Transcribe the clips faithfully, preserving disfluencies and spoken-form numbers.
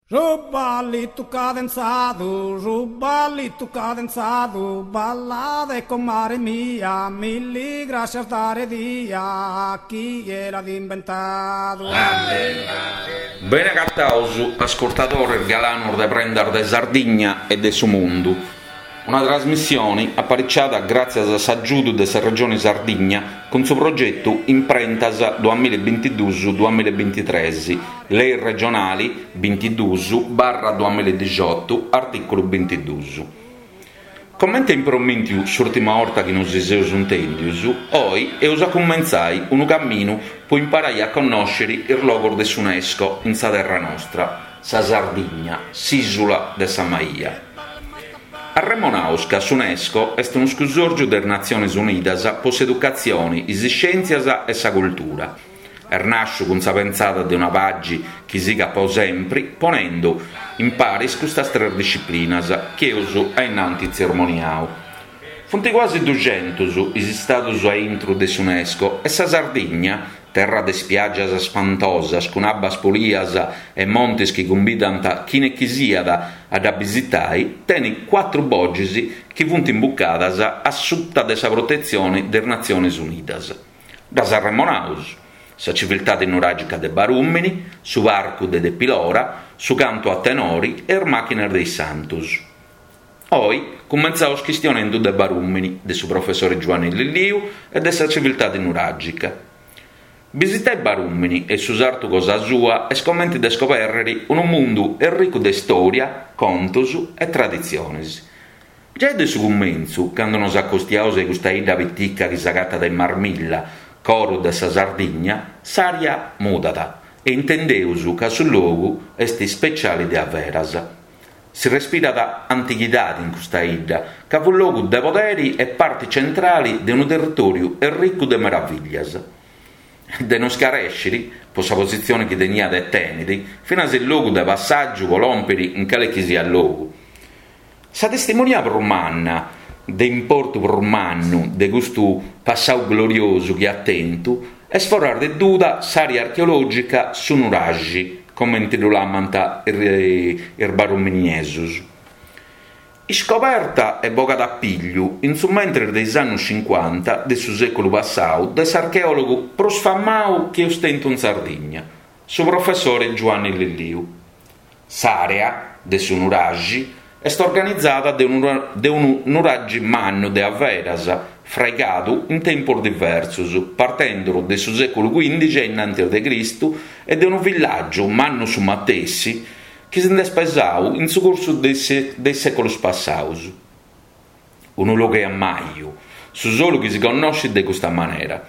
Su ballitu cadenzadu, su ballitu cadenzadu, ballade comare mia, milli grascias dare dia, chie l'at imbentadu. Bene agataus, ascurtadores galanos de Prendas de Sardigna e de su Mundu. Una trasmissione apariciada gràtzias a s'agiudu de sa Regione Sardigna cun su progetu Imprentas duamilla e bintiduus duamilla e bintitres, Lei regionali bintiduus barra duamilla e dixiotu, artìculu bintiduus. Comente impromìntiu s'ùrtima 'orta chi nosi seus intèndius, oi eus a cumentzai unu caminu po imparai a connòscere is logos de s'UNESCO in sa terra nostra, sa Sardigna, s'ìsula de sa Maia. Arremonaus ca s'UNESCO est unu scusòrgiu de is Natziones Unidas po s'educatzione, is iscièntzias e sa cultura. Est nàsciu cun sa pentzada de una pagi chi sigat po sempri, ponendu in paris custas tres disciplinas chi eus a innanti tzermoniau. Funt cuasi duxentus is istadus a intru de s'UNESCO e sa Sardigna, terra de spiàgias spantosas cun abbas pulias e montes chi cumbidant chine chi siat a dda bisitai, tenit cuatru boxis chi funt imbucadas a suta de sa protetzione de is Natziones Unidas. Ddas arremonaus, sa civiltade nuràgica de Barùmini, su parcu de Tepilora, su cantu a tenori e is màchinas de is Santus. Oi cumentzaus chistionendu de Barùmini, de su professore Giuanni Lilliu e de sa civiltade nuràgica. Bisitai Barùmini e su sartu cosa sua est comente de scobèrrere unu mundu erricu de istòria, contos e traditziones. Giai de su cumentzu, cando nos acostiaus a custa 'idda pitica chi s'agatat in Marmilla, coro de sa Sardigna, s'ària mudat e intendeus ca su logu est ispeciale de averas. Si respirat antighidade in custa 'idda, ca fu logu de poderi e parte centrale de unu territòriu erricu de meraviglias. De non scarèscere, po sa positzione chi teniat e tenit, finas il logu de passàgiu po lòmpere in cale chi siat logu. Sa testimonia prus manna, de importu prus mannu, de custu passau gloriosu chi at tentu, est foras de duda s'àrea archeològica Su Nuraxi, comente ddu lamant is baruminiesos. Iscoberta e bogada a pigliu in su mentres de is annos cincuanta de su sèculu passau de s'archeòlogu prus famau chi eus tentu in Sardigna, su professore Giuanni Lilliu. S'àrea de su Nuraxi est organizada de unu, de unu nuraxi mannu de averas, fraigadu in tempos diversos, partendo de su sèculu quindixi a innantis de Cristu e de unu villàgiu mannu su matessi, chi si nd'est pesau in su cursu de is sèculos passaus. Unu logu 'e ammaju, su solu chi si connoscit de custa manera.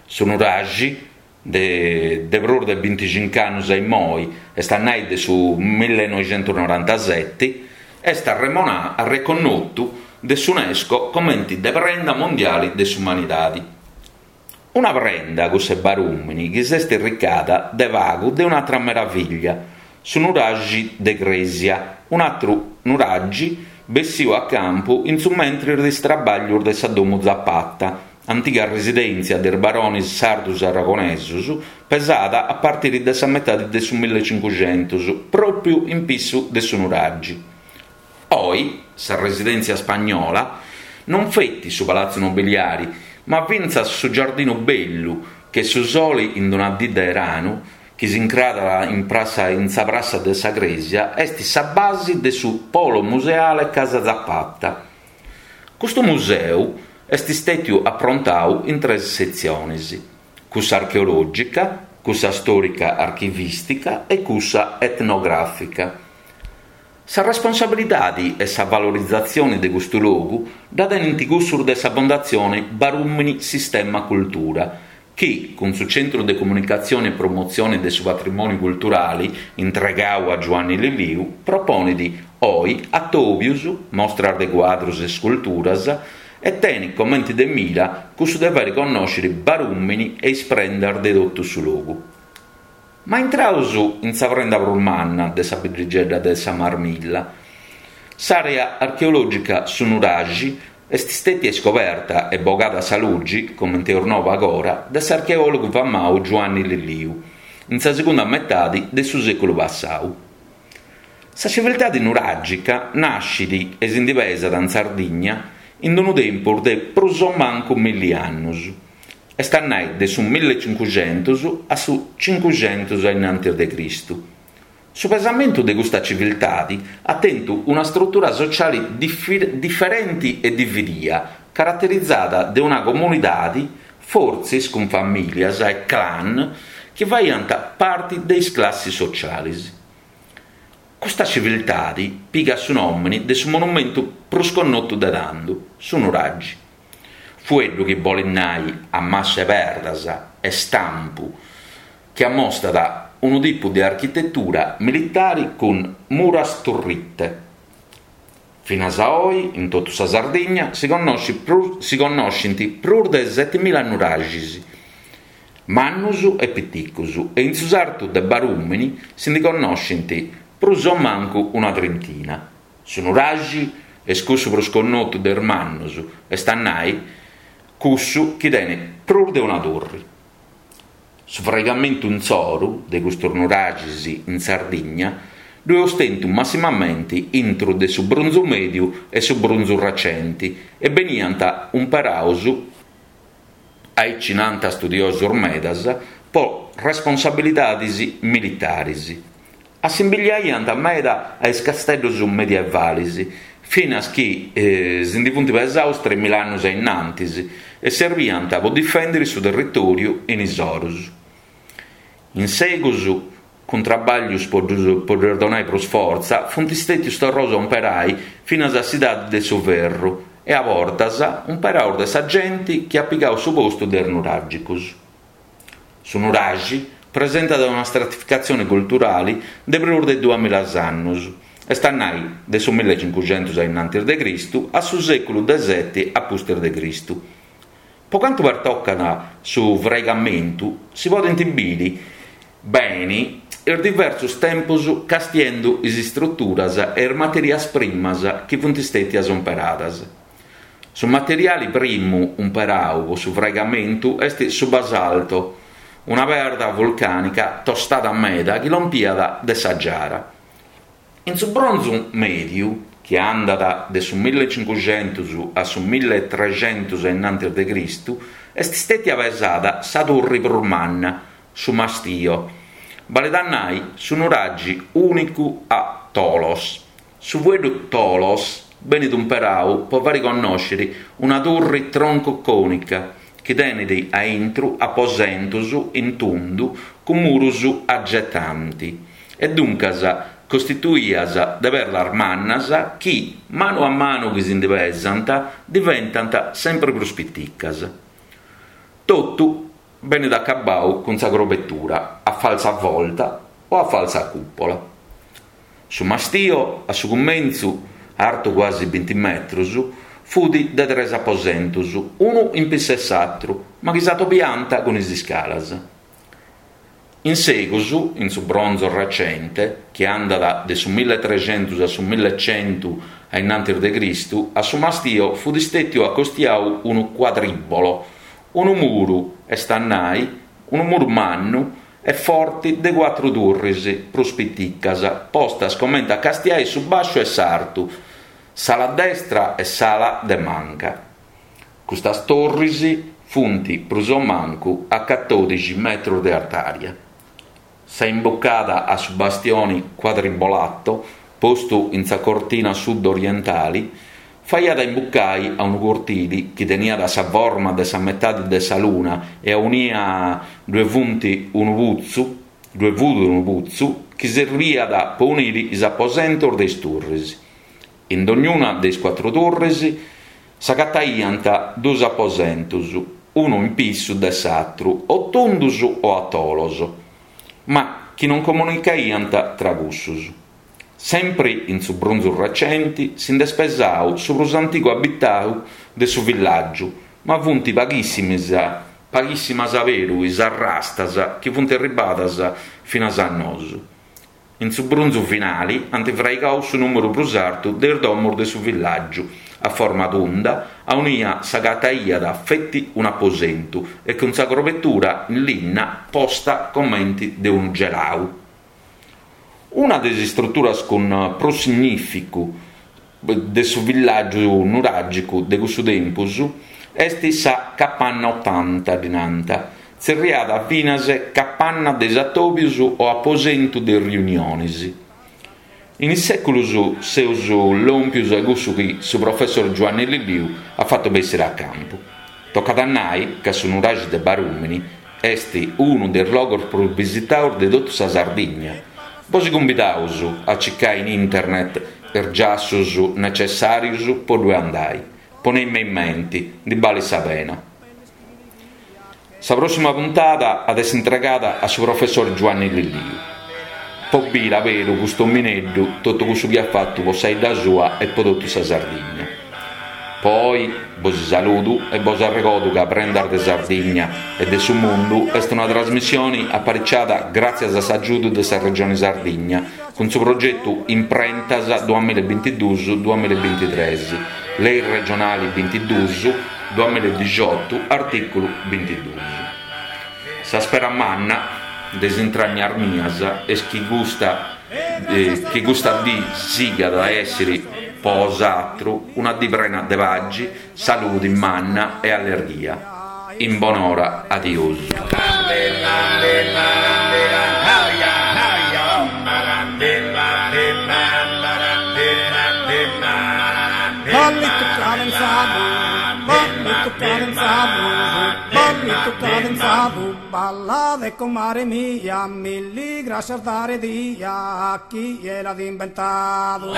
Su nuraxi, de, de prus de binticincu annus a immoi, est a nai de su millenoixentusnorantaseti, est arremonau, arreconnotu de s'UNESCO comente de prenda mondiale de s'umanidade. Una prenda, cussa 'e Barùmini, chi s'est irricada de pagu de un'atra meraviglia, su nuraxi de Crèsia, un'atru nuraxi bessiu a campu in su mentres de is trabaglios de sa Domu Zapata, antiga residèntzia de is barones sardos aragonesos, pesada a partire de sa metade de su millecincuxentos, pròpiu in pissu de su nuraxi. Oi, sa residèntzia spagnola non feti su palazzo nobiliari, ma fintzas su giardinu bellu, che su sole in una dì de 'eranu, chi s'incrarat in, prassa, in sa prassa de sa Crèsia, est sa base de su polo museale Casa Zapata. Custu museu est istètiu aprontau in tres setziones, cussa archeològica, cussa stòrica archivìstica e cussa etnogràfica. Sa responsabilidade e sa valorizatzione de custu logu dda tenint cussos de sa Fondatzione Barùmini Sistema Cultura, chi, cun su Centru de Comunicatzione e Promotzione de su Patrimòniu Culturale intregau a Giuanni Lilliu, proponit oi atòbios, mostras de cuadros e sculturas e tenit comente de mira cussu de fàere connòscere Barùmini e is prendas de totu su logu. Ma intraus in sa prenda prus manna de sa biddigedda de sa Marmilla. S'àrea archeològica Su Nuraxi est istètia iscoberta e bogada a sa lugi, comente eus nau agora, de s'archeòlogu famau Giuanni Lilliu, in sa segunda metade de su sèculu passau. Sa civiltadi nuràgica nascit e si ndi pesat in Sardigna in unu tempus de prus o mancu milli annus, est a nai de su millecincuxentus a su cincuxentus ainnantis de Cristu. Su pesamentu de custa civiltadi at tentu una strutura sociali diferenti e dividia, caraterizada de una comunidadi, fortzis cun famìlias e clan, chi faiant parti de is classis socialis. Custa civiltadi pigat su nòmini de su monumentu prus connotu de tandu, su nuragi. Fueddu chi bolit nai ammassu 'e perdas e stampu, chi ammostat unu tipu de architetura militari cun muras turrite. Finas a oi, in totu sa Sardigna, si si connoscint prus de setimila nuraxis, mannus e piticus, e in su sartu de Barùmini si ndi connoscint prus o mancu una trintina. Su nuraxi est cussu prus connotu de is mannus, est a nai cussu chi tenit prus de una turri. Su fraigamentu insoru de custus nuraxis in Sardigna ddu eus tentu massimamenti intru de su Brunzu Mèdiu e su Brunzu Recenti e beniant umperaus, aici nant studiosus medas, po responsabilidadis militaris. Assimbigliaiant meda a is casteddus medievalis, finas chi si ndi funt pesaus tremila annus ainnantis e serbiant po difèndiri su territòriu in is orus. In segus, cun trabaglius po ddus donai prus fortza, funt stètius torraus a umperai finas a s'idadi de su ferru e a bortas umperaus de sa genti chi at pigau su postu de is nuràgicus. Su nuraxi presentat una stratificatzioni culturali de prus de duamilla annus, est a nai de su millecincuxentus ainnantis de Cristu a su sèculu de seti a pustis de Cristu. Po cantu pertocat su fraigamentu, si podint biri beni is diversus tempus castiendu is istruturas e is materias primas chi funt stètias umperadas. Su materiali primu umperau po su fraigamentu est su basalto, una perda vulcànica tostada meda chi lompiat de sa Giara. In su Bronzu Mèdiu, chi andat de su millecincuxentus a su milletrecentus ainnantis de Cristu, est stètia pesada sa turri prus manna, su Mastio, balet a nai su nuraxi ùnicu a tholos. Su fueddu tholos benit umperau po fari connòsciri una turri tronco-cònica chi tenit a intru aposentus in tundu cun murus aggettanti e duncas costituias de perdas mannas chi, manu a manu chi si ndi pesant, diventant sempre prus piticas. Totu benit acabau cun sa crobetura a falsa volta o a falsa cupola. Su mastio, a su cumentzu, artu quasi binti metrus, fut de tres aposentus, unu in pissu 'e s'atru, ma chi s'atobiant cun is iscalas. In segus, in su Bronzo Recente, chi andat de su milletrecentus a su millecentu ainnantis de Cristu, a su mastio fut stètiu acostiau unu quadribolo, unu muru, est a nai, unu muru mannu e forti de cuatru turris prus piticas, postas comente a castiai su bàsciu e s'artu, s'ala destra e s'ala de manca. Custas torris funt prus o mancu a catòdixi metrus de artària. Sa imbucada a su bastioni quadribolato, postu in sa cortina sud-orientali, faiat a imbucai a unu cortili chi teniat sa forma de sa metadi de sa luna e aunia ddue funt unu putzu, ddue fut unu putzu chi serbiat po uniri is aposentos de is turris. In dognuna de is cuatru turris s'agataiant dus aposentus, unu in pissu de s'atru, o tundus o a tholos, ma chi non comunicaiant tra cussus. Sempri in su Brunzu Recenti si nd'est pesau su prus antigu abitau de su villàgiu, ma funt paghissimas, paghissimas aberu is arrastas chi funt arribadas finas a nosu. In su Brunzu Finali ant fraigau su nùmeru prus artu de is domos de su villàgiu, a forma tunda, aunia s'agataiat feti un'aposentu e cun sa crobetura in linna posta comente de unu gelau. Una de is istruturas cun prus significu de su villàgiu nuràgicu de cussu tempus est sa Capanna Otanta, ddi nant, tzerriada finas Capanna de is Atòbios o Aposentu de is Riuniones. In is sèculos seus lòmpios a cussu chi su professor Giuanni Lilliu at fatu bessire a campu. Tocat a nai ca su nuraxi de Barùmini est unu de is logos prus bisitados de totu sa Sardigna. Bos cumbidaus a circai in internet is giassos necessàrios po ddue andai. Ponei-mi in menti, ndi balit sa pena. Sa prossima puntada at essi intregada a su professor Giuanni Lilliu. Po biri aberu custu omineddu totu cussu chi at fatu po sa 'idda sua e po totu sa Sardigna. Po oi bos saludu e bos arregodu ca Prendas de Sardigna e de su Mundu est una trasmissione apariciada gràtzias a s'agiudu de sa Regione Sardigna cun su progetu Imprentas duamilla e bintiduus duamilla e bintitrès, Lei regionale bintiduus duamilla e dixiotu, artìculu bintiduus. Sa spera manna de is intragnas mias est chi custa, eh, chi custa dì sigat a èssere po 'osatru una dì prena de paxi, saludi manna e allegria. In bonora, adiosu. Ballito cadenzado, ballito cadenzado, ballito cadenzado, balade comare mia, milli gracias dare dia a chie l'ha inventado.